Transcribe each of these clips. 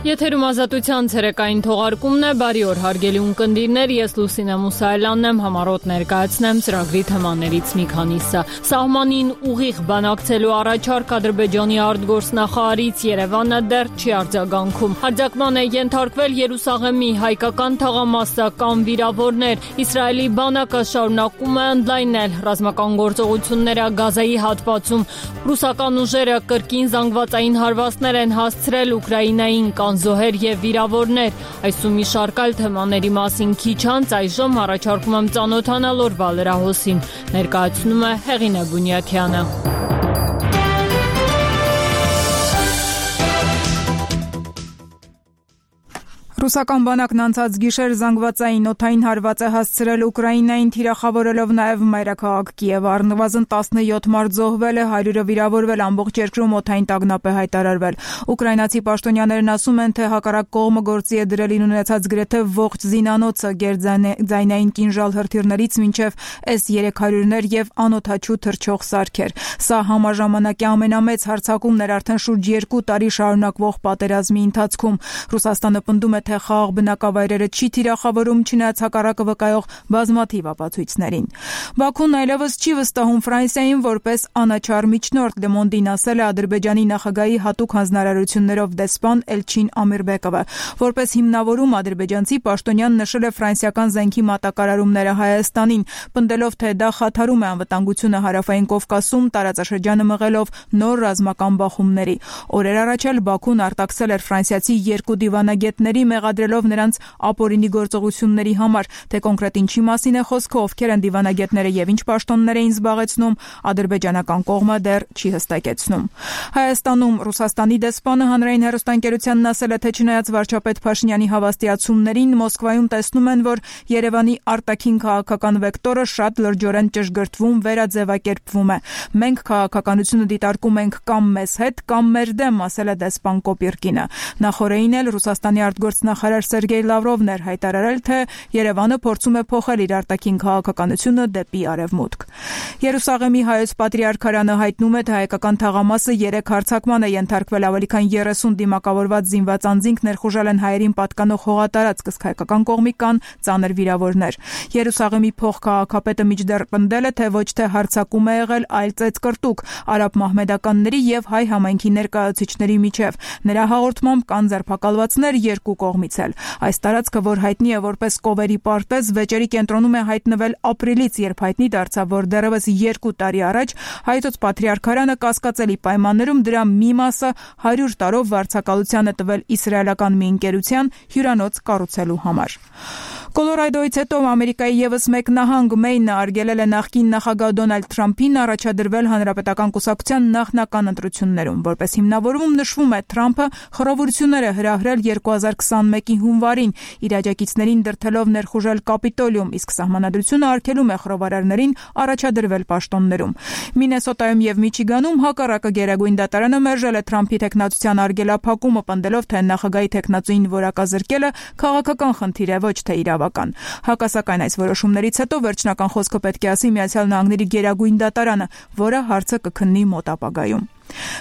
Եթերում ազատության ցերեկային թողարկումն է, բարի օր հարգելի ունկնդիրներ, ես Լուսինե Մուսայելյանն եմ, համառոտ ներկայացնեմ ծրագրի թեմաներից մի քանիսը։ Սահմանին ուղիղ բանակցելու առաջարկ Ադրբեջանի արտգործնախարարից Երևանը դեռ չի արձագանքում։ Արձակման է ենթարկվել Երուսաղեմի հայկական թաղամասը կամ վիրավորներ։ Իսրայելի բանակը շարունակում է ընդլայնել ռազմական գործողությունները Գազայի հատվածում։ Ռուսական ուժերը կրկին զանգվածային հարվածներ են հասցրել Ուկրաինային զոհեր եւ վիրավորներ։ Այս ու մի շարք այլ թեմաների մասին քիչ անց այժմ առաջարկում եմ ծանոթանալ օրվա լրահոսին։ Ներկայացնում է Հեղինե Բունյաթյանը։ Ռուսական բանակն անցած գիշեր զանգվածային օդային հարված է հասցրել Ուկրաինային, թիրախավորելով նաև մայրաքաղաք Կիևը։ Առնվազն 17 մարդ զոհվել է, 100-ը վիրավորվել, ամբողջ երկրում օդային տագնապ է հայտարարվել։ Ուկրաինացի պաշտոնյաներն ասում են, թե հակառակ կողմը գործի է դրել ունեցած գրեթե ողջ զինանոցը գերձայնային կինժալ հրթիռներից մինչև S-300-ներ եւ անօդաչու թռչող սարքեր։ Սա համաժամանակի ամենամեծ հարձակումն էր արդեն շուրջ 2 տարի շարունակվող պատերազմի ընթացքում։ Ռուսաստանը պնդում է, թե խաղաղ բնակավայրերը չի թիրախավորում, չնայած հակառակը վկայող բազմաթիվ ապացույցներին։ Բաքուն այլևս չի վստահում Ֆրանսիային որպես անաչառ միջնորդ, Le Monde-ին ասել է Ադրբեջանի նախագահի հատուկ հանձնարարություններով դեսպան Էլչին Ամիրբեկովը։ Որպես հիմնավորում ադրբեջանցի պաշտոնյան նշել է ֆրանսիական զենքի մատակարարումները Հայաստանին, պնդելով, թե դա խաթարում է անվտանգությունը Հարավային Կովկասում, տարածաշրջանը մղելով նոր ռազմական բախումների։ Օրեր առաջ էլ Բաքուն արտաքսել էր ֆրանսիացի 2 դիվանագետների, մեղադրելով նրանց ապօրինի գործողությունների համար, թե կոնկրետ ինչի մասին է խոսքը, ովքեր են դիվանագետները եւ ինչ պաշտոններ էին զբաղեցնում, ադրբեջանական կողմը դեռ չի հստակեցնում։ Հայաստանում Ռուսաստանի դեսպանը հանրային հեռուստաընկերությանն ասել է, թե չնայած վարչապետ Փաշինյանի հավաստիացումներին, Մոսկվայում տեսնում են, որ Երևանի արտաքին քաղաքական վեկտորը շատ լրջորեն ճշգրտվում, վերաձևակերպվում է։ Մենք քաղաքականությունը դիտարկում ենք կամ մեզ հետ, կամ մեր դեմ, ասել է դեսպան Կոպիրկինը։ Նախորդին էլ Ռուսաստանի արտգործնախարար Սերգեյ Լավրովն էր հայտարարել, թե Երևանը փորձում է փոխել իր արտաքին քաղաքականությունը դեպի արևմուտք։ Երուսաղեմի հայոց պատրիարքարանը հայտնում է, թե հայկական թաղամասը 3 հարձակման է ենթարկվել, ավելի քան 30 դիմակավորված զինված անձինք ներխուժել են հայերին պատկանող հողատարածք, իսկ հայկական կողմի կան ծանր վիրավորներ։ Երուսաղեմի փոխքաղաքապետը միջդեռ պնդել է, թե ոչ թե հարձակում է եղել, այլ ծեծկրտուկ արաբ մահմեդականների եւ հայ համայնքի ներկայացուցիչների միջև։ Նրա հաղորդմամբ կան ձերբակալվածներ երկու կողմից էլ։ Այս տարածքը, որ հայտնի է որպես Կովերի պարտեզ, վեճերի կենտրոնում է հայտնվել ապրիլից, երբ հայտնի դարձավ, որ դեռևս 2 տարի առաջ հայոց պատրիարքարանը կասկածելի պայմաններում դրա մի մասը 100 տարով վարձակալության է տվել իսրայելական մի ընկերության հյուրանոց կառուցելու համար։ Կոլորադոից հետո Ամերիկայի եւս մեկ նահանգ Մեյնը արգելել է նախկին նախագահ Դոնալդ Թրամփին առաջադրվել հանրապետական կուսակցության նախնական ընտրություններում։ Որպես հիմնավորում նշվում է, Թրամփը խռովություններ է հրահրել 2021-ի հունվարին, իր աջակիցներին դրդելով ներխուժել Կապիտոլիում, իսկ սահմանադրությունը արգելում է խռովարարներին առաջադրվել պաշտոններում։ Մինեսոտայում եւ Միչիգանում հակառակը Գերագույն դատարանը մերժել է Թրամփի թեկնածության արգելափակումը, պնդելով, թե նախագահի թեկնածուին որակազրկելը քաղաքական խնդիր է, ոչ թե իրավական։ Հակասական այս որոշումներից հետո վերջնական խոսքը պետք է ասի Միացյալ Նահանգների Գերագույն դատարանը, որը հարցը կքննի մոտ ապագայում։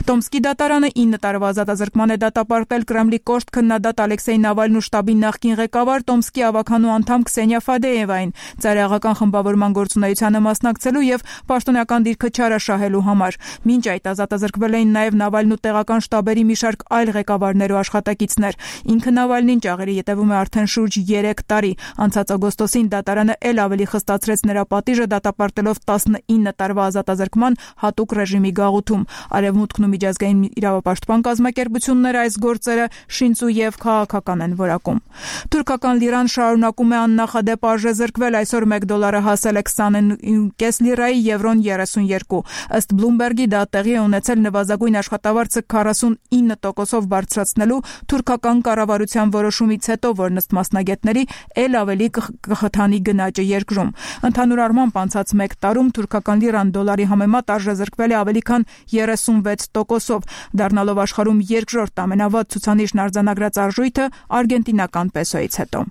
Տոմսկի դատարանը 9 տարվա ազատազրկման է դատապարտել Կրեմլի կոշտ քննադատ Ալեքսեյ Նավալնու շտաբի նախկին ղեկավար Տոմսկի ավականու անդամ Քսենիա Ֆադեևային ծայրահեղական խմբավորման գործունեությանը մասնակցելու եւ պաշտոնական դիրքը չարաշահելու համար։ Մինչ այդ ազատազրկվել էին նաեւ Նավալնու տեղական շտաբերի մի շարք այլ ղեկավարներ ու աշխատակիցներ։ Ինքը Նավալնին ճաղերի ետևում է արդեն շուրջ 3 տարի։ Անցած օգոստոսին դատարանը ել ավելի խստացրեց նրա պատիժը դատապարտելով 19 տարվա ազատազրկման հատուկ ռեժիմի գաղութում։ Արևմուտքն ու միջազգային իրավապաշտպան կազմակերպությունները այս գործերը շինծու եւ քաղաքական են որակում։ Թուրքական լիրան շարունակում է աննախադեպ արժեզրկվել, այսօր $1 հասել է 29 լիրայի, եվրոն 32։ Ըստ Bloomberg-ի դա տեղի է ունեցել նվազագույն աշխատավարձը 49%-ով բարձրացնելու թուրքական կառավարության որոշումից հետո, որն ըստ մասնագետների ել ավելի կխթանի գնաճը երկրում։ Ընդհանուր առմամբ անցած 1 տարում թուրքական լիրան դոլարի համեմատ արժեզրկվել է ավելի քան 36%-ով, դառնալով աշխարհում երկրորդ ամենավատ ցուցանիշն արձանագրած արժույթը արգենտինական պեսոից հետո։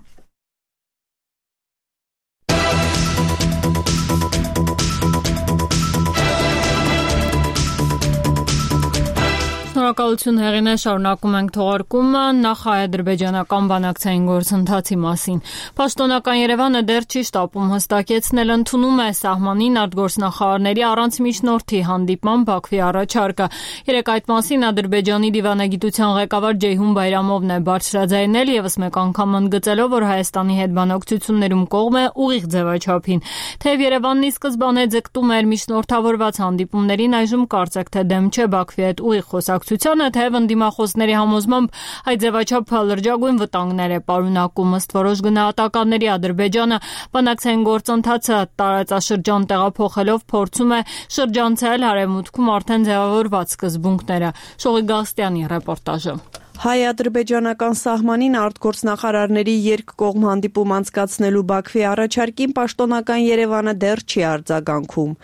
Շնորհակալություն Հեղինե, շարունակում ենք թողարկումը նախ-ադրբեջանական բանակցային գործընթացի մասին։ Պաշտոնական Երևանը դեռ չի շտապում հստակեցնել, ընդունում է սահմանին արտգործնախարարների առանց միջնորդի հանդիպման Բաքվի առաջարկը։ Երեկ այդ մասին Ադրբեջանի դիվանագիտության ղեկավար Ջեյհուն Բայրամովն է բարձրաձայնել, եւս մեկ անգամ ընդգծելով, որ Հայաստանի հետ բանակցություններում կողմ է ուղիղ ձևաչափին։ Թեև Երևանն ի սկզբանե ձգտում էր միջնորդավորված հանդիպումներին, այժմ կարծեք թե դեմ չէ Բաքվի հետ ուղիղ խոսակցությանը, թեև ընդդիմախոսների համոզմամբ այդ ձևաչափը լրջագույն վտանգներ է պարունակում։ Ըստ որոշ գնահատականների Ադրբեջանը բանակցային գործընթացը տարածաշրջան տեղափոխելով փորձում է շրջանցել Արևմուտքում արդեն ձևավորված սկզբունքները։ Շողի Գալստյանի ռեպորտաժը։ Հայ-ադրբեջանական սահմանին արտգործնախարարների երկկողմ հանդիպում անցկացնելու Բաքվի առաջարկին պաշտոնական Երևանը դեռ չի արձագանքում։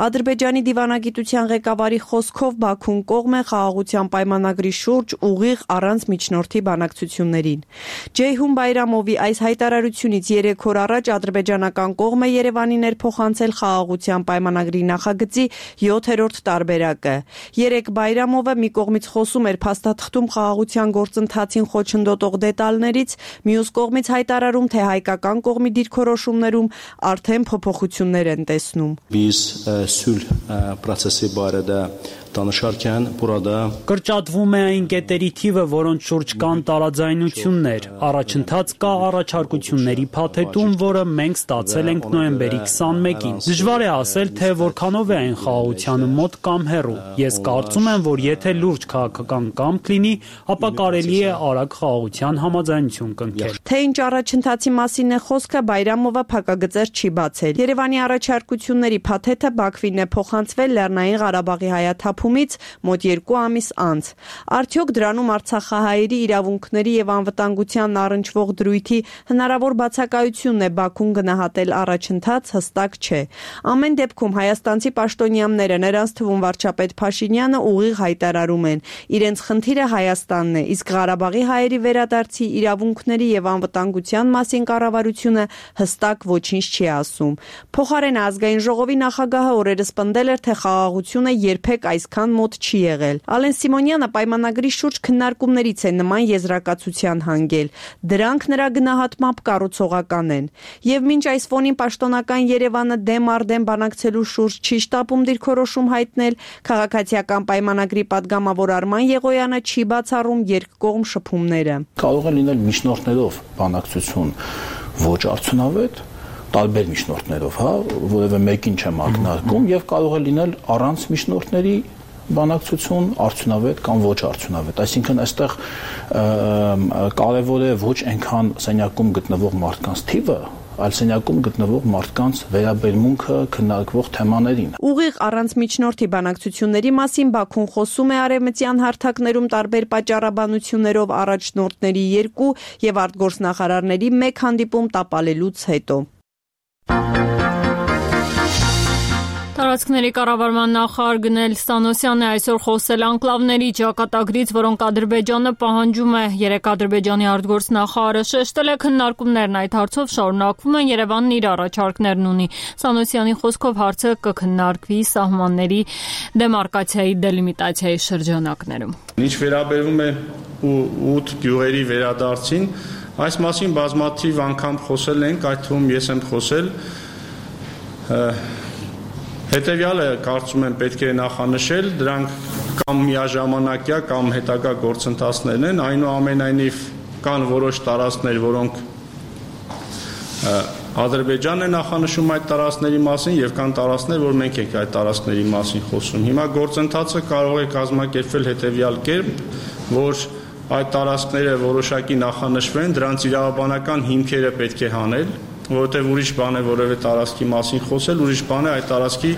Ադրբեջանի դիվանագիտության ղեկավարի խոսքով Բաքուն կողմ է խաղաղության պայմանագրի շուրջ ուղիղ առանց միջնորդի բանակցություններին։ Ջեյհուն Բայրամովի այս հայտարարությունից 3 օր առաջ ադրբեջանական կողմը Երևանին էր փոխանցել խաղաղության պայմանագրի նախագծի 7-րդ տարբերակը։ Երեկ Բայրամովը մի կողմից խոսում էր փաստաթղթում խաղաղության գործընթացին խոչընդոտող դետալներից, մյուս կողմից հայտարարում, թե հայկական կողմի դիրքորոշումներում արդեն փոփոխություններ են տեսնում։ Biz sülh prosesi barədə danışarkən burada կրճատվում է այն կետերի թիվը, որոնց շուրջ կան տարաձայնություններ։ Առաջընթաց կա առաջարկությունների փաթեթում, որը մենք ստացել ենք նոյեմբերի 21-ին։ Դժվար է ասել, թե որքանով է այն խաղաղությանը մոտ կամ հեռու։ Ես կարծում եմ, որ եթե լուրջ քաղաքական կամք լինի, ապա կարելի է արագ խաղաղության համաձայնություն կնքել։ Թե ինչ առաջընթացի մասին է խոսքը, Բայրամովը փակագծեր չի բացել։ Երևանի առաջարկությունների փաթեթը Բաքվին է փոխանցվել Լեռնային Ղարաբաղի հայաթափումից մոտ 2 ամիս անց։ Արդյոք դրանում արցախահայերի իրավունքների եւ անվտանգության առնչվող դրույթի հնարավոր բացակայությունն է Բաքուն գնահատել առաջընթաց, հստակ չէ։ Ամեն դեպքում հայաստանցի պաշտոնյաները, նրանց թվում վարչապետ Փաշինյանը, ուղիղ հայտարարում են, իրենց խնդիրը Հայաստանն է, իսկ Ղարաբաղի հայերի վերադարձի իրավունքների եւ անվտանգության մասին կառավարությունը հստակ ոչինչ չի ասում։ Փոխարենը ազգային ժողովի նախագահը օրերս պնդել էր, թե խաղաղությունը երբեք այսքան մոտ չի եղել։ Ալեն Սիմոնյանը պայմանագրի շուրջ քննարկումներից է նման եզրակացության հանգել։ Դրանք նրա գնահատմամբ կառուցողական են։ Եվ մինչ այս ֆոնին պաշտոնական Երևանը դեմ առ դեմ բանակցելու շուրջ չի շտապում դիրքորոշում հայտնել, քաղաքացիական պայմանագրի падգամավոր Արման Եղոյանը չի բացառում երկկողմ շփումները։ Կարող է լինել միջնորդներով բանակցություն ոչ արդյունավետ, տարբեր միջնորդներով, որևէ մեկին չեմ ակնարկում, եւ կարող է լինել առանց միջնորդների բանակցություն արդյունավետ կամ ոչ արդյունավետ։ Այսինքն այստեղ կարևոր է ոչ այնքան սենյակում գտնվող մարդկանց թիվը, այլ սենյակում գտնվող մարդկանց վերաբերմունքը քննարկվող թեմաներին։ Ուղիղ առանց միջնորդի բանակցությունների մասին Բաքուն խոսում է արևմտյան հարթակներում տարբեր պատճառաբանություններով առաջնորդների 2 եւ արտգործնախարարների 1 հանդիպում տապալելուց հետո։ Տարածքների կառավարման նախարար Գնել Սանոսյանը այսօր խոսել անկլավների ճակատագրից, որոնք Ադրբեջանը պահանջում է։ Երեկ Ադրբեջանի արտգործնախարարը շեշտել է, քննարկումներն այդ հարցով շարունակվում են, Երևանն իր առաջարկներն ունի։ Սանոսյանի խոսքով հարցը կքննարկվի սահմանների դեմարկացիայի դելիմիտացիայի շրջանակներում։ Ինչ վերաբերում է 8 գյուղերի վերադարձին, այս մասին բազմաթիվ անգամ խոսել ենք, այդ թվում ես եմ խոսել։ Հետևյալը կարծում եմ պետք է նախանշել, դրանք կամ միաժամանակյա կամ հետագա գործընթացներն են, այնուամենայնիվ կան որոշ տարածքներ, որոնք Ադրբեջանն է նախանշում այդ տարածքների մասին եւ կան տարածքներ, որ մենք ենք այդ տարածքների մասին խոսում։ Հիմա գործընթացը կարող է կազմակերպվել հետևյալ կերպ, որ այդ տարածքները որոշակի նախանշվեն, դրանց իրավաբանական հիմքերը պետք է հանել, որովհետև ուրիշ բան է որևէ տարածքի մասին խոսել, ուրիշ բան է այդ տարածքի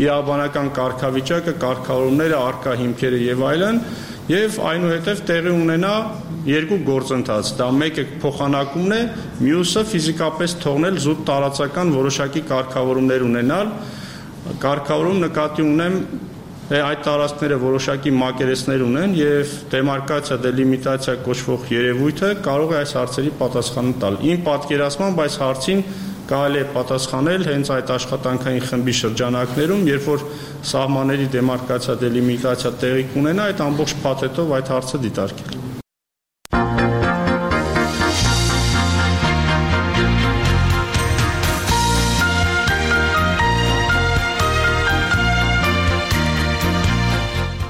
իրավաբանական կարգավիճակը, կարգավորումները, առկա հիմքերը եւ այլն, եւ այնուհետև տեղի ունենա երկու գործընթաց։ Դա մեկը փոխանակումն է, մյուսը ֆիզիկապես թողնել զուտ տարածական որոշակի կարգավորումներ ունենալ։ Կարգավորում նկատի ունեմ այդ տարածքները որոշակի մակերեսներ ունեն եւ դեմարկացիա, դելիմիտացիա կոչվող երևույթը կարող է այս հարցերի պատասխանը տալ։ Իմ պատկերացմամբ այս հարցին կարելի է պատասխանել հենց այդ աշխատանքային խմբի շրջանակներում, երբ որ սահմանների դեմարկացիա, դելիմիտացիա տեղի կունենա, այդ ամբողջ փաթեթով այդ հարցը դիտարկել։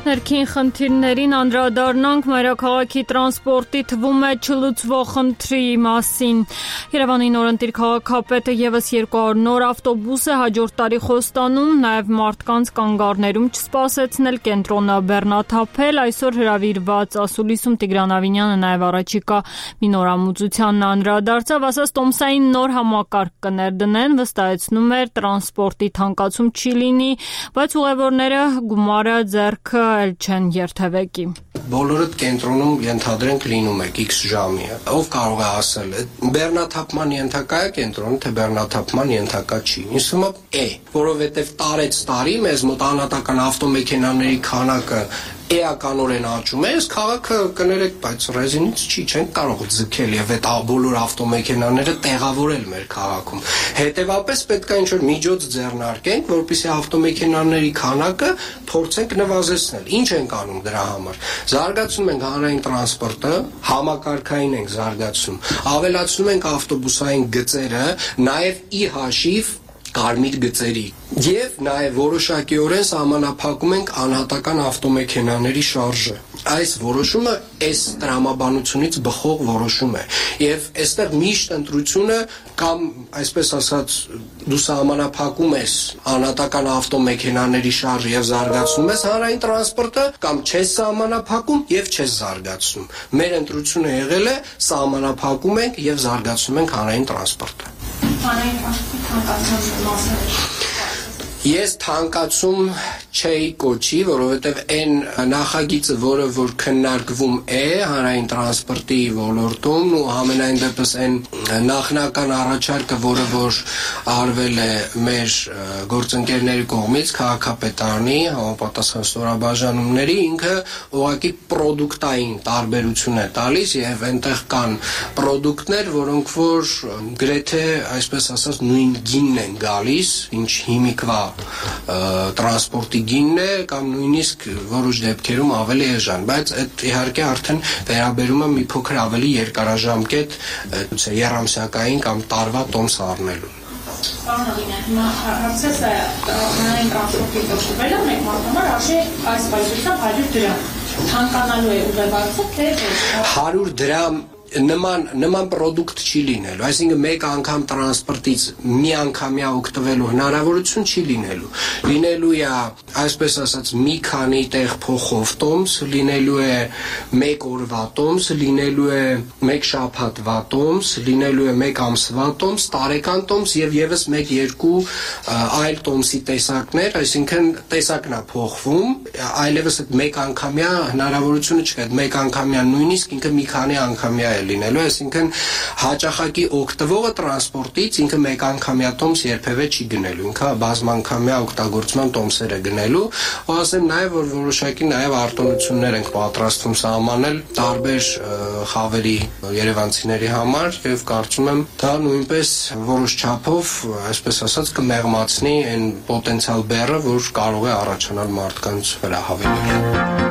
Ներքին խնդիրներին անդրադառնանք մայրաքաղաքի տրանսպորտի թվում է չլուծվող խնդրի մասին։ Երևանի նորընտիր քաղաքապետը եւս 200 նոր ավտոբուս է հաջորդ տարի խոստանում, նաեւ մարդկանց կանգառներում չսպասեցնել կենտրոնը բեռնաթափել։ Այսօր հրավիրված ասուլիսում Տիգրան Ավինյանը նաեւ առաջիկա մի նորամուծությանն անդրադարձավ, ասաց տոմսային նոր համակարգ կներդնեն, վստահեցնում էր տրանսպորտի թանկացում չի լինի, բայց ուղևորները գումարը ձեռքը չեն երթևեկի։ Բոլորդ կենտրոնում ենթադրենք լինում եք X ժամի։ Ով կարող է ասել, բեռնաթափման ենթակա է կենտրոնը, թե բեռնաթափման ենթակա չի։ Ինձ թվում է, որովհետև տարեց տարի մեզ մոտ անհատական ավտոմեքենաների քանակը էականորեն աճում է, քաղաքը կներեք, բայց ռեզինից չենք կարող ձգել եւ այդ բոլոր ավտոմեքենաները տեղավորել մեր քաղաքում։ Հետևաբար պետք է ինչ-որ միջոց ձեռնարկենք, որպեսզի ավտոմեքենաների քանակը փորձենք նվազեցնել։ Ինչ ենք անում դրա համար։ Զարգացնում ենք հանրային տրանսպորտը, համակարգային ենք զարգացում, ավելացնում ենք ավտոբուսային գծերը, նաեւ ի հաշիվ կարմիր գծերի եւ նաեւ որոշակիորեն սահմանափակում ենք անհատական ավտոմեքենաների շարժը։ Այս որոշումը այս տրամաբանությունից բխող որոշում է եւ այստեղ միշտ ընտրությունը կամ այսպես ասած դու սահմանափակում ես անհատական ավտոմեքենաների շարժը եւ զարգացնում ես հանրային տրանսպորտը կամ չես սահմանափակում եւ չես զարգացնում։ Մեր ընտրությունը եղել է սահմանափակում ենք եւ զարգացնում ենք հանրային տրանսպորտը։ Ես թանկացում չէի կոչի, որովհետև այն նախագիծը, որը որ քննարկվում է հանրային տրանսպորտի ոլորտում, ու համենայն դեպս այն նախնական առաջարկը, որը որ արվել է մեր գործընկերների կողմից, քաղաքապետարանի համապատասխան ստորաբաժանումների, ինքը ուղղակի պրոդուկտային տարբերություն է տալիս եւ այնտեղ կան պրոդուկտներ, որոնք որ գրեթե այսպես ասած նույն գինն են գալիս, ինչ հիմիկվա տրանսպորտի գինն է կամ նույնիսկ որոշ դեպքերում ավելի էժան, բայց այդ իհարկե արդեն վերաբերում է մի փոքր ավելի երկարաժամկետ երամսյակային կամ տարվա տոմս առնելու։ Պարոն Ալինյան, հիմա հարցես է հանրային տրանսպորտի դոկումենտը մեկ մարդամար արժե այս բայդրությամբ 100 դրամ։ Թանկանալու է ուղևորը, թե 100 դրամ նման պրոդուկտ չի լինելու, այսինքն մեկ անգամ տրանսպորտից մի անգամյա օգտվելու հնարավորություն չի լինելու։ Լինելու է, այսպես ասած, մի քանի տեղ փոխով տոմս, լինելու է մեկ օրվա տոմս, լինելու է մեկ շաբաթվա տոմս, լինելու է մեկ ամսվա տոմս, տարեկան տոմս եւ եւս 1-2 այլ տոմսի տեսակներ, այսինքն տեսակն է փոխվում, այլևս այդ մեկ անգամյա հնարավորությունը չկա, մեկ անգամյա նույնիսկ ինքը մի քանի անգամյա լինելու, այսինքն հաճախակի օգտվողը տրանսպորտից ինքը մեկ անգամյա տոմս երբևէ չի գնելու, ինքը բազմանգամյա օգտագործման տոմսեր է գնելու, ու ասեմ նաև որ որոշակի նաև արտոնություններ ենք պատրաստվում սահմանել տարբեր խավերի երևանցիների համար եւ կարծում եմ դա նույնպես որոշ չափով, այսպես ասած, կմեղմացնի այն պոտենցիալ բեռը, որ կարող է առաջանալ մարդկանց վրա հավելել։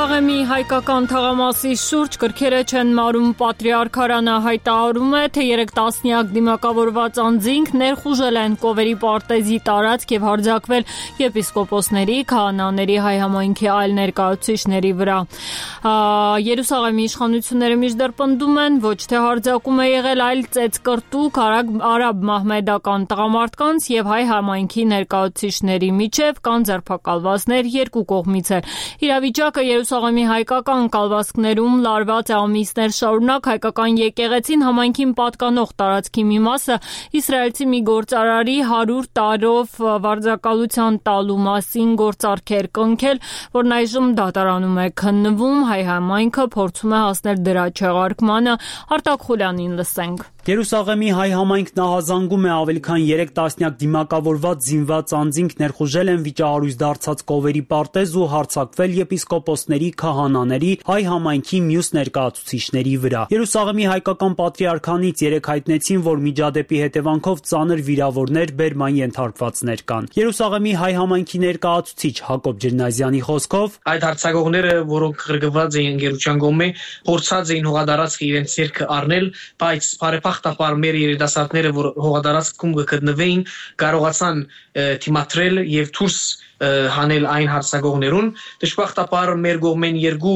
Երուսաղեմի հայկական թաղամասի շուրջ կրքերը չեն մարում պատրիարքարանը հայտարարում է, թե 3 տասնյակ դիմակավորված անձինք ներխուժել են Կովերի պարտեզի տարածք եւ հարձակվել եպիսկոպոսների, քահանաների, հայ համայնքի այլ ներկայացուցիչների վրա։ Երուսաղեմի իշխանությունները միշտ պնդում են, ոչ թե հարձակում է եղել, այլ ծեծկրտուկ արաբ մահմեդական տղամարդկանց եւ հայ համայնքի ներկայացուցիչների միջև կան ձերբակալվածներ երկու կողմից էլ։ Իրավիճակը Երուսաղեմի հայկական կալվածքներում լարված է ամիսներ շարունակ, հայկական եկեղեցին համայնքին պատկանող տարածքի մի մասը իսրայելցի մի գործարարի 100 տարով վարձակալության տալու մասին գործարքեր կնքել, որն այժմ դատարանում է քննվում, հայ համայնքը փորձում է հասնել դրա չեղարկմանը։ Արտակ Խուլյանին լսենք։ Երուսաղեմի հայ համայնքն ահազանգում է ավելի քան 3 տասնյակ դիմակավորված զինված անձինք ներխուժել են վիճահարույց դարձած Կովերի պարտեզ ու հարձակվել եպիսկոպոսների, քահանաների, հայ համայնքի մյուս ներկայացուցիչների վրա։ Երուսաղեմի հայկական պատրիարքանից 3 հայտնեցին, որ միջադեպի հետևանքով ծանր վիրավորներ, բերման ենթարկվածներ կան։ Երուսաղեմի հայ համայնքի ներկայացուցիչ Հակոբ Ջրնազյանի խոսքով այդ հարձակողները, որոնք գրգված էին ընկերության կողմէ, փորձած էին հողադարձքը իրենց ձեռքը առնել, բայց բարեփոխտապար մեր երիտասարդները, որ հողադարձքում գտնվեին, կարողացան թիմադրել եւ դուրս հանել այն հարձակողներուն։ Դժբախտաբար մեր կողմեն 2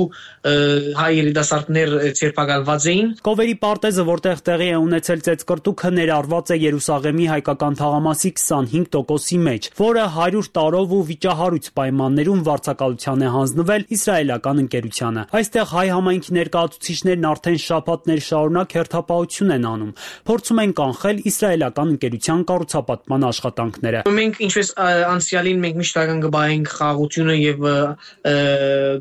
հայ երիտասարդներ ցերպակալված էին։ Կովերի պարտեզը, որտեղ տեղի է ունեցել ծեծկռտուքը, ներառված է Երուսաղեմի հայկական թաղամասի 25%-ի մեջ, որը 100 տարով ու վիճահարույց պայմաններում վարձակալության է հանձնվել իսրայելական ընկերությանը։ Այստեղ հայ համայնքի ներկայացուցիչներն արդեն շաբաթներ շարունակ հերթապահություն են անում, փորձում են կանխել իսրայելական ընկերության կառուցապատման աշխատանքները։ Մենք ինչպես անցյալին մենք միշտ գբայինք խաղաղությունը եւ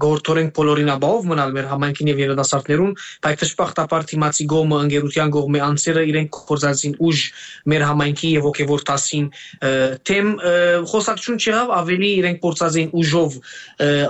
գործորենք բոլորին ապահով մնալ մեր համայնքին եւ երիտասարդներուն, բայց դժբախտաբար թիմացի գոմը ընկերության կողմի անձերը իրենք կորզածին ուժ մեր համայնքի եւ ոգեվոր տասին թեմ խոսակցություն չեղավ, ավելի իրենք փորձածին ուժով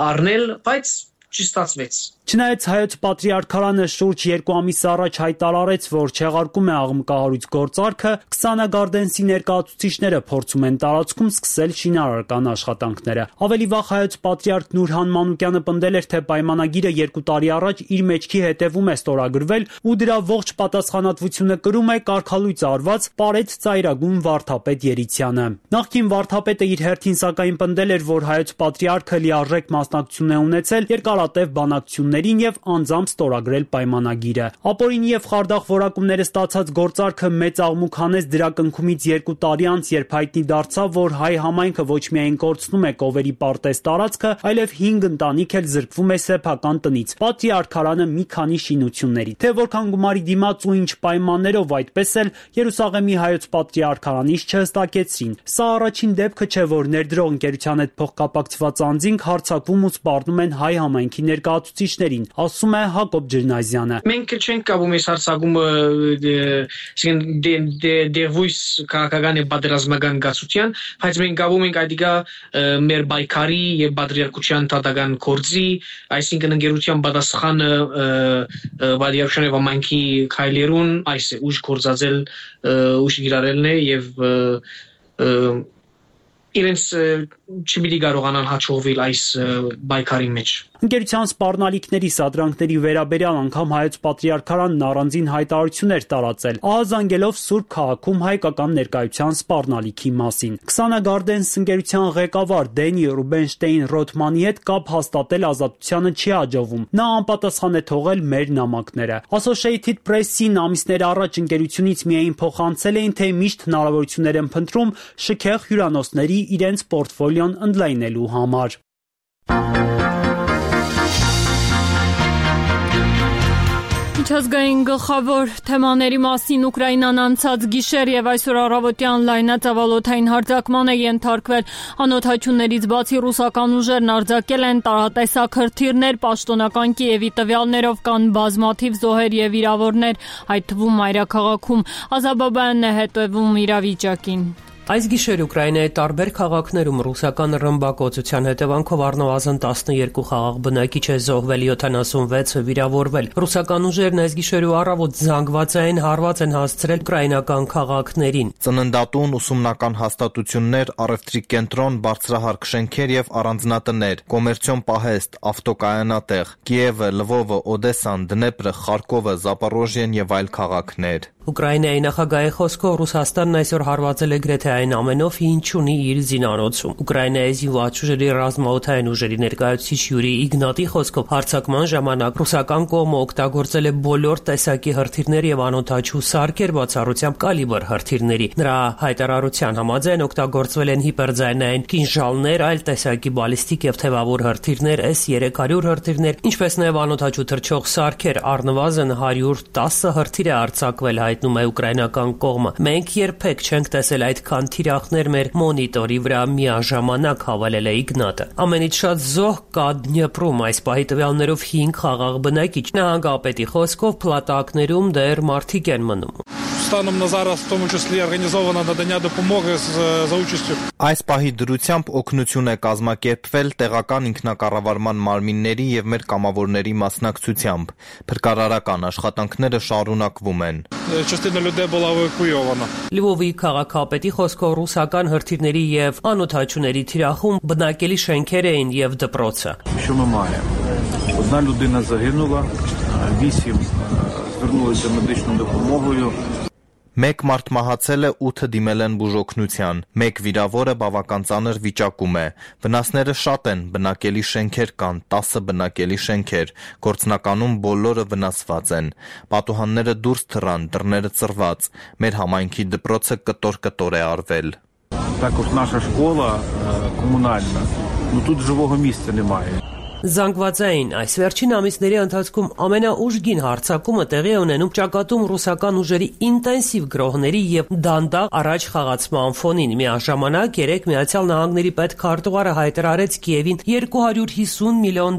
առնել, բայց չստացվեց։ Չնայած հայոց պատրիարքարանը շուրջ 2 ամիս առաջ հայտարարեց, որ չեղարկում է աղմկահարույց գործարքը, Քսանագարդենսի ներկայացուցիչները փորձում են տարածքում սկսել շինարարական աշխատանքները։ Ավելի վաղ հայոց պատրիարք Նուրհան Մանուկյանը պնդել էր, թե պայմանագիրը 2 տարի առաջ իր մեջքի հետևում է ստորագրվել ու դրա ողջ պատասխանատվությունը կրում է կարգալույծ արված Պարետ ծայրագույն վարդապետ Երիցյանը։ Նախկին վարդապետը իր հերթին սակայն պնդել էր, որ հայոց պատրիարքը լիարժեք մասնակցություն է ունեցել երկարատև բանակցություններին եւ անձամբ ստորագրել պայմանագիրը։ Ապօրինի եւ խարդախ որակումները ստացած գործարքը մեծ աղմուկ հանեց դրա կնքումից 2 տարի անց, երբ հայտնի դարձավ, որ հայ համայնքը ոչ միայն կորցնում է Կովերի պարտեզ տարածքը, այլև 5 ընտանիք էլ զրկվում է սեփական տնից, պատրիարքարանը մի քանի շինությունների։ Թե որքան գումարի դիմաց ու ինչ պայմաններով, այդպես էլ Երուսաղեմի հայոց պատրիարքարանից չհստակեցրին։ Սա առաջին դեպքը չէ, որ ներդրող ընկերության հետ փոխկապակցված անձինք հարձակվում ու սպառնում են հայ համայնքի ներկայացուցիչներին, ասում է Հակոբ Ջրնազյանը։ Մենք չենք կապում այս հարձակումը դերվույս քաղաքական եւ պատերազմական գացության, բայց մենք կապում ենք այդիկա մեր բայկարի եւ պատրիարքության տատական կորձի, այսինքն ընկերության պատասխանը պատրիարքության եւ համայնքի քայլերուն այս է ուժ կորզածել ուժ գիրարելն է եւ իրենց չպիտի կարողանան հաջողվել այս բայկարի մեջ։ Ընկերության սպառնալիքների սադրանքների վերաբերյալ անգամ հայոց պատրիարքարանն առանձին հայտարարություններ տարածել, ահազանգելով Սուրբ քաղաքում հայկական ներկայության սպառնալիքի մասին։ Քսանագարդենս ընկերության ղեկավար Դենի Ռուբենշտեին Ռոթմանի հետ կապ հաստատել Ազատությանը չի հաջողվում։ Նա անպատասխան է թողել մեր նամակները։ Associated Press-ին ամիսներ առաջ ընկերությունից միայն փոխանցել էին, թե միշտ հնարավորություններ են փնտրում շքեղ հյուրանոցների իրենց պորտֆոլիոն ընդլայնելու համար։ Միջազգային գլխավոր թեմաների մասին Ուկրաինան անցած գիշեր եւ այսօր առավոտյան լայնածավալոթային հարձակման է ենթարկվել։ Անօթաչուներից բացի ռուսական ուժերն արձակել են տարատեսակ հրթիռներ, պաշտոնական Կիևի տվյալներով կան բազմաթիվ զոհեր եւ վիրավորներ, այդ թվում մայրաքաղաքում։ Ազաբաբյանն է հետևում իրավիճակին։ Այս գիշեր Ուկրաինայի տարբեր քաղաքներում ռուսական ռմբակոծության հետևանքով առնվազն 12 խաղաղ բնակիչ է զոհվել, 76-ը վիրավորվել։ Ռուսական ուժերն այս գիշեր ու առավոտ զանգվածային հարված են հասցրել ուկրաինական քաղաքներին։ Ծննդատուն, ուսումնական հաստատություններ, առևտրի կենտրոն, բարձրահարկ շենքեր եւ առանձնատներ, կոմերցիոն պահեստ, ավտոկայանատեղ, Կիևը, Լվովը, Օդեսան, Դնեպրը, Խարկովը, Զապորոժիեն եւ այլ քաղաքներ։ Ուկրաինայի նախագահի խոսքով Ռուսաստանն այսօր հարվածել է գրեթե այն ամենով, ինչ ունի իր զինանոցում։ Ուկրաինայի զինված ուժերի ռազմաօդային ուժերի ներկայացուցիչ Յուրի Իգնատի խոսքով հարձակման ժամանակ ռուսական կողմը օգտագործել է բոլոր տեսակի հրթիռներ եւ անօթաչու սարքեր, բացառությամբ կալիբր հրթիռների։ Նրա հայտարարության համաձայն օգտագործվել են հիպերձայնային կինժալներ, այլ տեսակի բալիստիկ եւ թևավոր հրթիռներ, S-300 հրթիռներ, ինչպես նաեւ անօթաչու թռչող սարքեր, առնվազն 110 հրթիռ է արձակվել հայ հայտնում է ուկրաինական կողմը։ Մենք երբեք չենք տեսել այդքան թիրախներ մեր մոնիտորի վրա միաժամանակ, հավելել է Իգնատը։ Ամենից շատ զոհ կա Դնեպրում, այս պահի տվյալներով 5 խաղաղ բնակիչ։ Նահանգապետի խոսքով փլատակներում դեռ մարդիկ են մնում։ Станом на зараз, в тому числі організовано надання допомоги за участю. Այս պահի դրությամբ օգնություն է կազմակերպվել տեղական ինքնակառավարման մարմինների եւ մեր կամավորների մասնակցությամբ։ Փրկարարական աշխատանքները շարունակվում են։ Частина людей була евакуйована. Լվովի քաղաքապետի խոսքով ռուսական հրթիռների եւ անօթաչուների թիրախում բնակելի շենքեր էին եւ դպրոցը։ Що ми маємо? Одна людина загинула, 8 звернулися медичною допомогою. Մեկ մարդ մահացել է, 8 դիմել են բուժօգնության։ Մեկ վիրավորը բավական ծանր վիճակում է։ Վնասները շատ են, բնակելի շենքեր կան, 10 բնակելի շենքեր, գործնականում բոլորը վնասված են։ Պատուհանները դուրս թռան, դռները ծռված։ Մեր համայնքի դպրոցը կտոր-կտոր է արվել։ Також наша школа комунальна. Ну тут живого місця немає. Զանգվածային այս վերջին ամիսների ընթացքում ամենաուժգին հարձակումը տեղի է ունենում ճակատում ռուսական ուժերի ինտենսիվ գրոհների եւ դանդաղ առաջ խաղացման ֆոնին։ Միաժամանակ Միացյալ Նահանգների պետքարտուղարը հայտարարեց Կիևին $250 միլիոն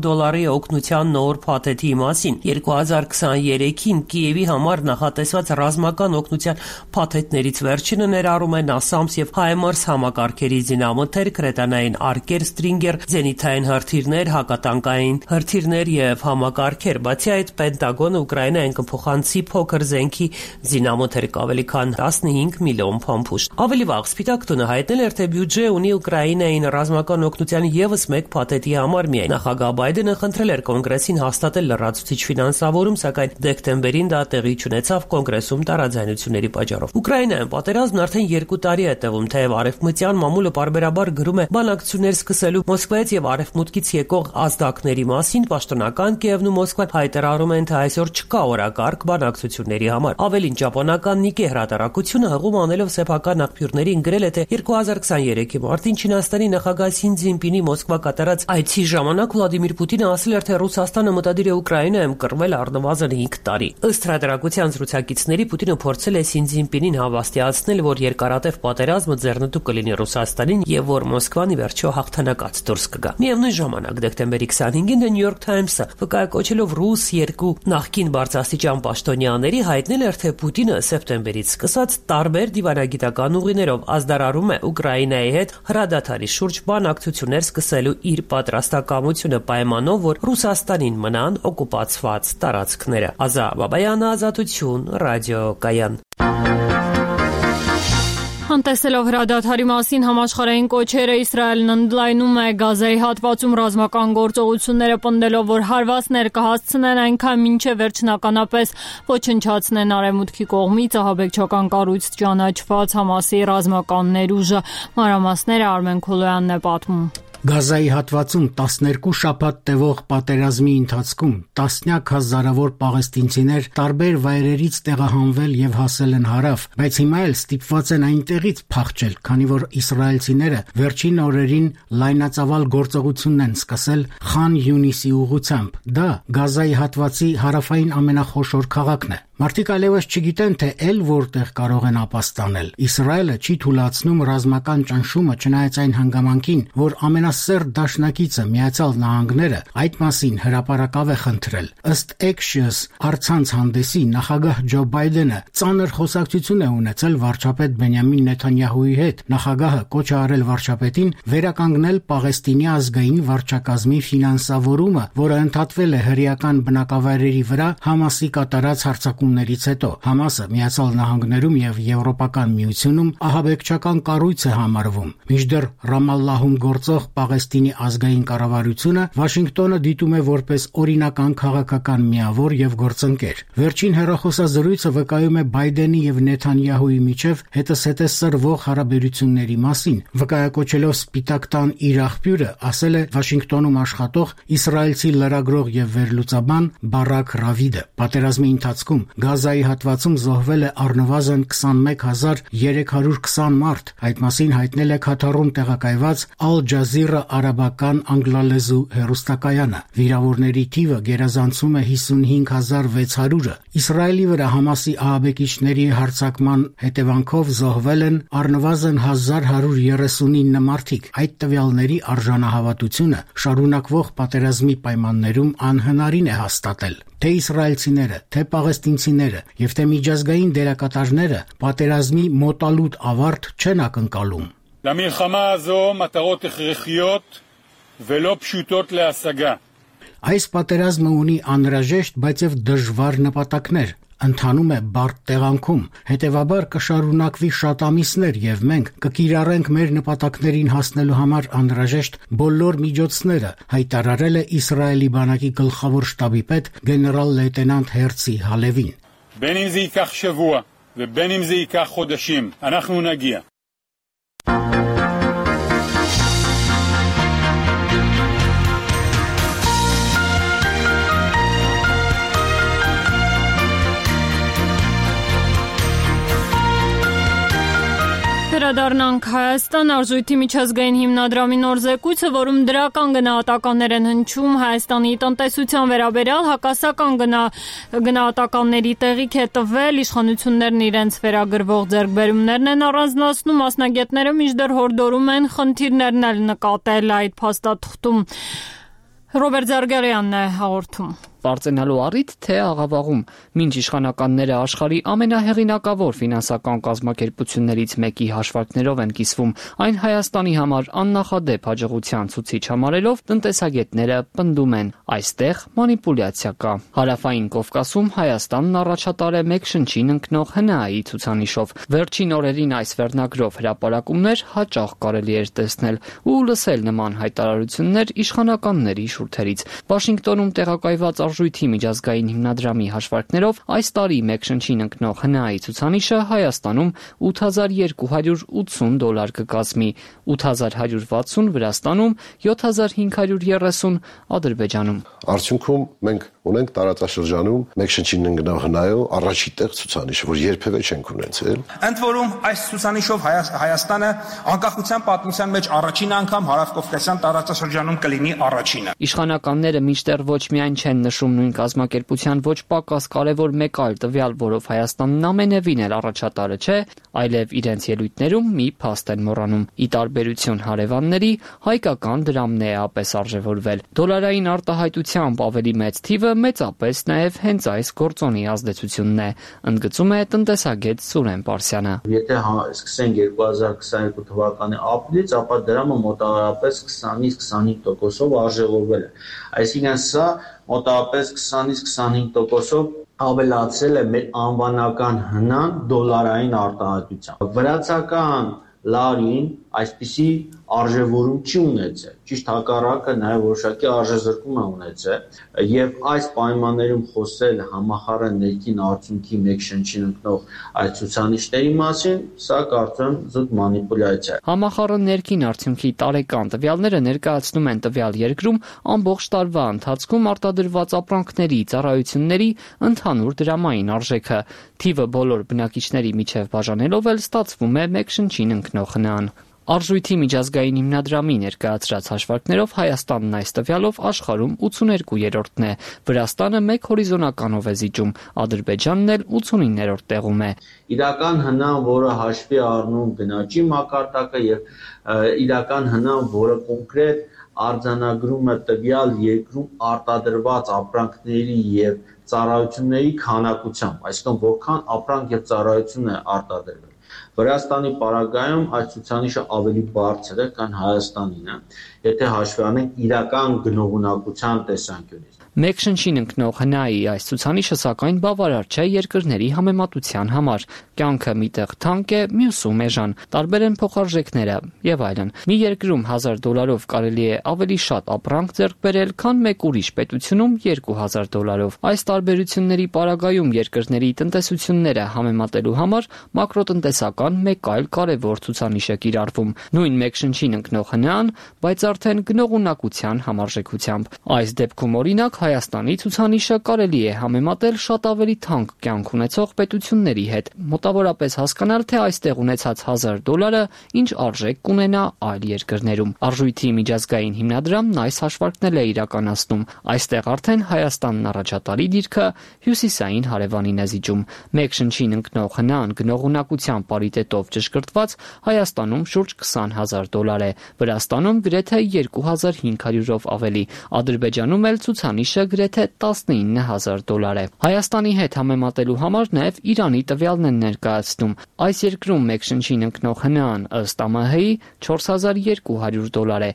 օգնության նոր փաթեթի մասին։ 2023-ին Կիևի համար նախատեսված ռազմական օգնության փաթեթներից վերջինը ներառում է NASAMS եւ HIMARS համակարգերի զինամթեր, կրետանային արկեր, Stinger, զենիթային հրթիռներ, հակատանկային հրթիռներ եւ համակարգեր։ Բացի այդ, Պենտագոնը Ուկրաինային կփոխանցի փոքր զենքի զինամթեր ավելի քան 15 միլիոն փամփուշտ։ Ավելի վաղ Սպիտակ տունը հայտնել էր, թե բյուջե ունի Ուկրաինային ռազմական օգնության եւս մեկ փաթեթի համար միայն։ Նախագահ Բայդենը խնդրել էր կոնգրեսին հաստատել լրացուցիչ ֆինանսավորում, սակայն դեկտեմբերին դա տեղի չունեցավ կոնգրեսում տարաձայնությունների պատճառով։ Ուկրաինայում պատերազմն արդեն 2 տարի է տևում, թեև արևմտյան մամուլը պարբերաբար գրում է բանակցություններ սկսելու Մոսկվայից եւ արևմուտքից եկող ազդակների մասին, պաշտոնական Կիևն ու Մոսկվան հայտարարում են, թե այսօր չկա օրակարգ բանակցությունների համար։ Ավելին, ճապոնական Նիկե հրատարակությունը հղում անելով սեփական աղբյուրներին գրել է, թե 2023-ի մարտին Չինաստանի նախագահ Սին Ցզինպինի Մոսկվա կատարած այցի ժամանակ Վլադիմիր Պուտինը ասել էր, թե Ռուսաստանը մտադիր է Ուկրաինայում կռվել առնվազն 5 տարի։ Ըստ հրատարակության զրուցակիցների Պուտինը փորձել է Սին Ցզինպինին հավաստիացնել, որ երկարատև պատերազմը ձեռնտու կլինի Ռուսաստանին եւ որ Մոսկվան ի վերջո հաղթանակած դուրս կգա։ Միևնույն ժամանակ դեկտեմբերի 25-ին The New York Times-ը վկայակոչելով ռուս 2 նախկին բարձրաստիճան պաշտոնյաների հայտնել էր, թե Պուտինը սեպտեմբերից սկսած տարբեր դիվանագիտական ուղիներով ազդարարում է Ուկրաինայի հետ հրադադարի շուրջ բանակցություններ սկսելու իր պատրաստակամությունը պայմանով, որ Ռուսաստանին մնան օկուպացված տարածքները։ Ազա Բաբայանը, Ազատություն, ռադիոկայան։ Անտեսելով հրադադարի մասին համաշխարհային կոչերը, Իսրայելն ընդլայնում է Գազայի հատվածում ռազմական գործողությունները, պնդելով, որ հարվածներ կհասցնեն այնքան մինչև վերջնականապես ոչնչացնեն արևմուտքի կողմից ահաբեկչական կառույց ճանաչված Համասի ռազմական ներուժը։ Մանրամասները Արմեն Քոլոյանն է պատմում։ Գազայի հատվածում 12 շաբաթ տևող պատերազմի ընթացքում տասնյակ հազարավոր պաղեստինցիներ տարբեր վայրերից տեղահանվել եւ հասել են հարավ, բայց հիմա էլ ստիպված են այնտեղից փախչել, քանի որ իսրայելցիները վերջին օրերին լայնածավալ գործողությունն են սկսել Խան Յունիսի ուղությամբ։ Դա Գազայի հատվածի հարավային ամենախոշոր քաղաքն է։ Մարդիկ այլևս չգիտեն, թե էլ որտեղ կարող են ապաստանել։ Իսրայելը չի թույլատրում ռազմական ճնշումը, չնայած այն հանգամանքին, որ ամենասերտ դաշնակիցը Միացյալ Նահանգները այդ մասին հրապարակավ է խնդրել։ Ըստ Axios առցանց հանդեսի նախագահ Ջո Բայդենը ծանր խոսակցություն է ունեցել վարչապետ Բենյամին Նեթանյահուի հետ։ Նախագահը կոչ է արել վարչապետին վերականգնել Պաղեստինի ազգային վարչակազմի ֆինանսավորումը, որը ընդհատվել է հրեական բնակավայրերի վրա Համասի կատարած հարձակումներից հետո։ Համասը Միացյալ Նահանգներում եւ Եվրոպական միությունում ահաբեկչական կառույց է համարվում։ Մինչդեռ Ռամալլահում գործող Պաղեստինի ազգային կառավարությունը Վաշինգտոնը դիտում է որպես օրինական քաղաքական միավոր եւ գործընկեր։ Վերջին հեռախոսազրույցը վկայում է Բայդենի եւ Նեթանյահուի միջև հետզհետե սրվող հարաբերությունների մասին։ Վկայակոչելով Սպիտակ տան իր աղբյուրը, ասել է Վաշինգտոնում աշխատող իսրայելցի լրագրող եւ վերլուծաբան Բարակ Ռավիդը։ Պատերազմի ընթացքում Գազայի հատվածում զոհվել է առնվազն 21320 մարդ, այդ մասին հայտնել է Քաթարում տեղակայված Al Jazeera արաբական անգլալեզու հեռուստակայանը։ Վիրավորների թիվը գերազանցում է 55600-ը։ Իսրայելի վրա Համասի ահաբեկիչների հարձակման հետևանքով զոհվել են առնվազն 1139 մարդիկ։ Այդ տվյալների արժանահավատությունը շարունակվող պատերազմի պայմաններում անհնարին է հաստատել։ Թե իսրայելցիները, թե պաղեստինցիները եւ թե միջազգային դերակատարները պատերազմի մոտալուտ ավարտ չեն ակնկալում։ למלחמה הזו מטרות הכרחיות ולא פשוטות להשגה. Այս պատերազմը ունի անհրաժեշտ, բայց եւ դժվար նպատակներ։ Ընթանում է բարդ տեղանքում, հետևաբար կշարունակվի շատ ամիսներ եւ մենք կկիրառենք մեր նպատակներին հասնելու համար անհրաժեշտ բոլոր միջոցները, հայտարարել է Իսրայելի բանակի գլխավոր շտաբի պետ գեներալ լեյտենանտ Հերցի Հալևին։ בין אם זה ייקח שבוע ובין אם זה ייקח חודשים, אנחנו נגיע. Վերադառնանք Հայաստան արժույթի միջազգային հիմնադրամի նոր զեկույցը, որում դրական գնահատականներ են հնչում Հայաստանի տնտեսության վերաբերյալ, հակասական գնահատականների տեղիք է տվել, իշխանություններն իրենց վերագրվող ձեռքբերումներն են առանձնացնում, մասնագետները մինչդեռ հորդորում են խնդիրներն էլ նկատել այդ փաստաթղթում։ Ռոբերտ Զարգարյանն է հաղորդում։ Պարծենալու առիթ, թե աղավաղում, մինչ իշխանականները աշխարհի ամենահեղինակավոր ֆինանսական կազմակերպություններից մեկի հաշվարկներով են կիսվում, այն Հայաստանի համար աննախադեպ հաջողության ցուցիչ համարելով, տնտեսագետները պնդում են, այստեղ մանիպուլյացիա կա։ Հարավային Կովկասում Հայաստանն առաջատար է մեկ շնչին ընկնող ՀՆԱ-ի ցուցանիշով։ Վերջին օրերին այս վերնագրով հրապարակումներ հաճախ կարելի էր տեսնել ու լսել նման հայտարարություններ իշխանականների շուրթերից։ Վաշինգտոնում տեղակայված Արժույթի միջազգային հիմնադրամի հաշվարկներով այս տարի մեկ շնչին ընկնող ՀՆԱ-ի ցուցանիշը Հայաստանում $8280 կկազմի, 8160 Վրաստանում, 7530 Ադրբեջանում։ Արդյունքում մենք ունենք տարածաշրջանում մեկ շնչին ընկնող ՀՆԱ-ով առաջի տեղ ցուցանիշը, որ երբևէ չենք ունեցել։ Ընդ որում այս ցուցանիշով Հայաստանը անկախության պատմության մեջ առաջին անգամ հարավկովկասյան տարածաշրջանում կլինի առաջինը։ Իշխանականները մինչդեռ ոչ միայն չեն նշում նույն կազմակերպության ոչ պակաս կարևոր մեկ այլ տվյալ, որով Հայաստանն ամենևին էլ առաջատարը չէ, այլև իրենց ելույթներում մի փաստ են մոռանում։ Ի տարբերություն հարևանների, հայկական դրամն է ապես արժևորվել։ Դոլարային արտահայտությամբ ավելի մեծ թիվը մեծապես նաև հենց այս գործոնի ազդեցությունն է, ընդգծում է տնտեսագետ Սուրեն Պարսյանը։ Եթե սկսենք 2022 թվականի ապրիլից, ապա դրամը մոտավորապես 20-25%-ով արժևորվել է։ Այսինքն սա մոտավորապես 20-25%-ով ավելացել է մեր անվանական հնան դոլարային արտահայտությամբ։ Վրացական լարին այսպիսի արժևորում չի ունեցել, ճիշտ հակառակը նաև որոշակի արժեզրկում է ունեցել, եւ այս պայմաններում խոսել համախառն ներքին արդյունքի մեկ շնչին ընկնող այս ցուցանիշների մասին, սա կարծում եմ զուտ մանիպուլյացիա է։ Համախառն ներքին արդյունքի տարեկան տվյալները ներկայացնում են տվյալ երկրում ամբողջ տարվա ընթացքում արտադրված ապրանքների, ծառայությունների ընդհանուր դրամային արժեքը։ Թիվը բոլոր բնակիչների միջև բաժանելով էլ ստացվում է մեկ շնչին ընկնող ՀՆԱ-ն։ Արժույթի միջազգային հիմնադրամի ներկայացրած հաշվարկներով Հայաստանն այս տվյալով աշխարհում 82-րդն է, Վրաստանը մեկ հորիզոնականով է զիջում, Ադրբեջանն էլ 89-րդ տեղում է։ Իրական հնան, որը հաշվի առնում գնաճի մակարդակը եւ իրական հնան, որը կոնկրետ արձանագրում է տվյալ երկրում արտադրված ապրանքների եւ ծառայությունների քանակությամբ, այսինքն որքան ապրանք եւ ծառայություն է արտադրվել։ Վրաստանի պարագայում այս ցուցանիշը ավելի բարձր է, քան Հայաստանինը, եթե հաշվի առնենք իրական գնողունակության տեսանկյունից։ Մեկ շնչին ընկնող ՀՆԱ-ի այս ցուցանիշը սակայն բավարար չէ երկրների համեմատության համար։ Կյանքը միտեղ թանկ է, մյուսում էժան, տարբեր են փոխարժեքները եւ այլն։ Մի երկրում $1000 կարելի է ավելի շատ ապրանք ձեռք բերել, քան մեկ ուրիշ պետությունում $2000։ Այս տարբերությունների պարագայում երկրների տնտեսությունները համեմատելու համար մակրոտնտեսական մեկ այլ կարևոր ցուցանիշ է կիրառվում։ Նույն մեկ շնչին ընկնող ՀՆԱ-ն, բայց արդեն գնողունակության համարժեքությամբ։ Այս դեպքում օրինակ Հայաստանի ցուցանիշը կարելի է համեմատել շատ ավելի թանկ կյանք ունեցող պետությունների հետ, մոտավորապես հասկանալ, թե այստեղ ունեցած $1000 ինչ արժեք կունենա այլ երկրներում։ Արժույթի միջազգային հիմնադրամն այս հաշվարկն է իրականացնում։ Այստեղ արդեն Հայաստանն առաջատարի դիրքը հյուսիսային հարևանին է զիջում։ Մեկ շնչին ընկնող հնան գնողունակության պարիտետով ճշգրտված Հայաստանում շուրջ $20,000 է, Վրաստանում գրեթե 2500-ով ավելի, Ադրբեջանում էլ ցուցանիշը գրեթե $19,000 է։ Հայաստանի հետ համեմատելու համար նաև Իրանի տվյալն են ներկայացնում։ Այս երկրում մեկ շնչին ընկնող հնան ըստ ԱՄՀ-ի $4200 է։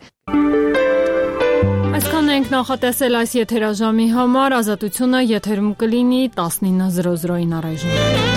Այսքան ենք նախատեսել այս եթերաժամի համար, Ազատությունը եթերում կլինի 19:00-ին առայժմ։